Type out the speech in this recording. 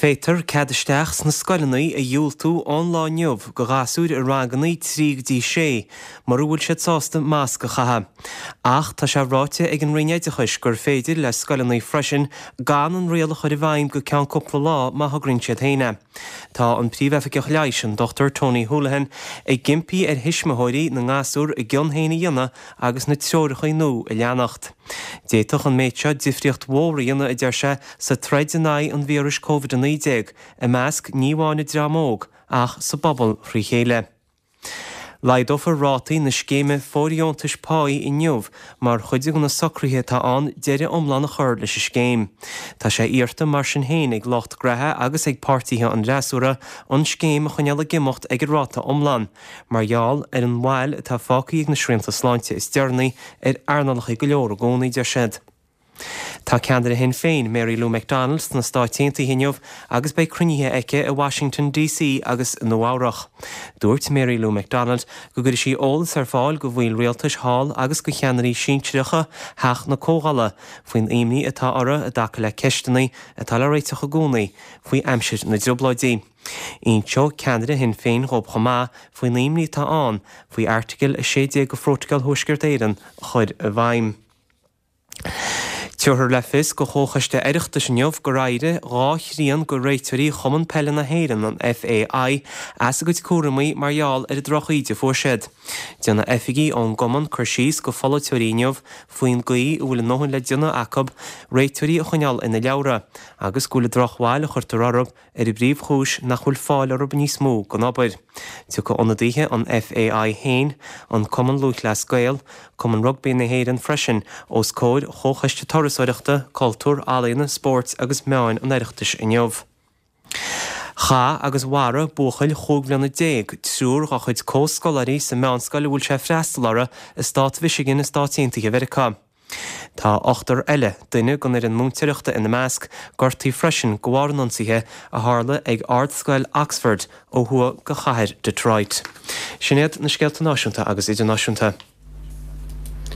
Féadtar cead isteach sna scoileanna a dhiúltú ón lá inniu go ghasúir i ranganna 3 go dtí 6 mura bhfuil siad sásta masc a chaitheamh. Ach tá sé ráite ag an Roinn Oideachais gur féidir le scoileanna freisin gan an riail a chur i bhfeidhm go ceann cúpla lá má thograíonn siad féin é. Tá an Príomhoifigeach Leighis, an Dr Tony Holohan, ag impí ar thuismitheoirí na ngasúr a gcion féin a dhéanamh agus na treoracha nua a leanacht. D'fhéadfadh an méid seo difríocht mhór a dhéanamh, a deir sé, sa troid in aghaidh an víris Covid-19, i measc ní amháin an dream óg ach sa bpobal thrí chéile. Laghdófar rátaí na scéime fóirdheontais páí inniu mar chuid de na socruithe atá ann deireadh iomlán a chur leis an scéim. Tá sé iarrta mar sin féin ag lucht graithe agus ag páirtithe an fhreasúra an scéim a choinneáil ag imeacht ag an ráta iomlán mar gheall ar an bhail atá fágtha ag na srianta sláinte is deireanaí ar earnálacha go leor i gcónaí, deir siad. Tá ceannaire Shinn Féin, Mary Lou McDonald, sna Stáit Aontaithe inniu agus beidh cruinnithe aici i Washington DC agus i Nua Eabhrach. Dúirt Mary Lou McDonald go gcuirfidh sí eolas ar fáil go bhaill rialtais thall agus go cheannairí sinsearacha Theach na Comhdhála faoin imní atá orthu i dtaca le ceisteanna atá le réiteach i gcónaí faoi aimsir na dTrioblóidí. Inseoidh ceannaire Shinn Féin dhóibh chomh maith faoin imní atá ann faoi Airteagal 16 de Phrótacal Thuaisceart Éireann a chur i bhfeidhm. Tabharfar le fios go Chomhchoiste Oireachtais inniu gur éirigh 2 thrian go réiteoirí Chumann Peile na hÉireann, an FAI, as a gcuid cúramaí mar gheall ar an droch-íde a fuair siad. Déanfaidh oifigigh ón gcumann cur síos go pholaiteoirí inniu faoin gcaoi a bhfuil a ndóthain le déanamh acu réiteoirí a choinneáil ina leabhra agus go bhfuil an drochbhail a chuirtear orthu ar an bpríomhchúis nach bhfuil fáil orthu níos mó don obair. Tiocfaidh ionadaithe an FAI féin, an Cumann Lúthchleas Gael, Cumann Rugbaí na hÉireann freisin os comhair Chomhchoiste Turasóireachta, Cultúir, Ealaíona, Spóirt agus Meáin an Oireachtais inniu. Chaith agus mharaigh buachaill chúig bhliana triúr dá chuid comhscoláirí sa meánscoil a bhfuil sé ag freastal orthu i stát Mhichigan i Stáit Aontaithe Mheiriceá. Tá ochtar eile, duine den fhoireann múinteoireachta ina measc, gortaithe freisin de bharr an ionsaithe a tharla ag Ardscoil Oxford ó thuaidh de chathair Detroit. Sin iad na scéalta náisiúnta agus idirnáisiúnta.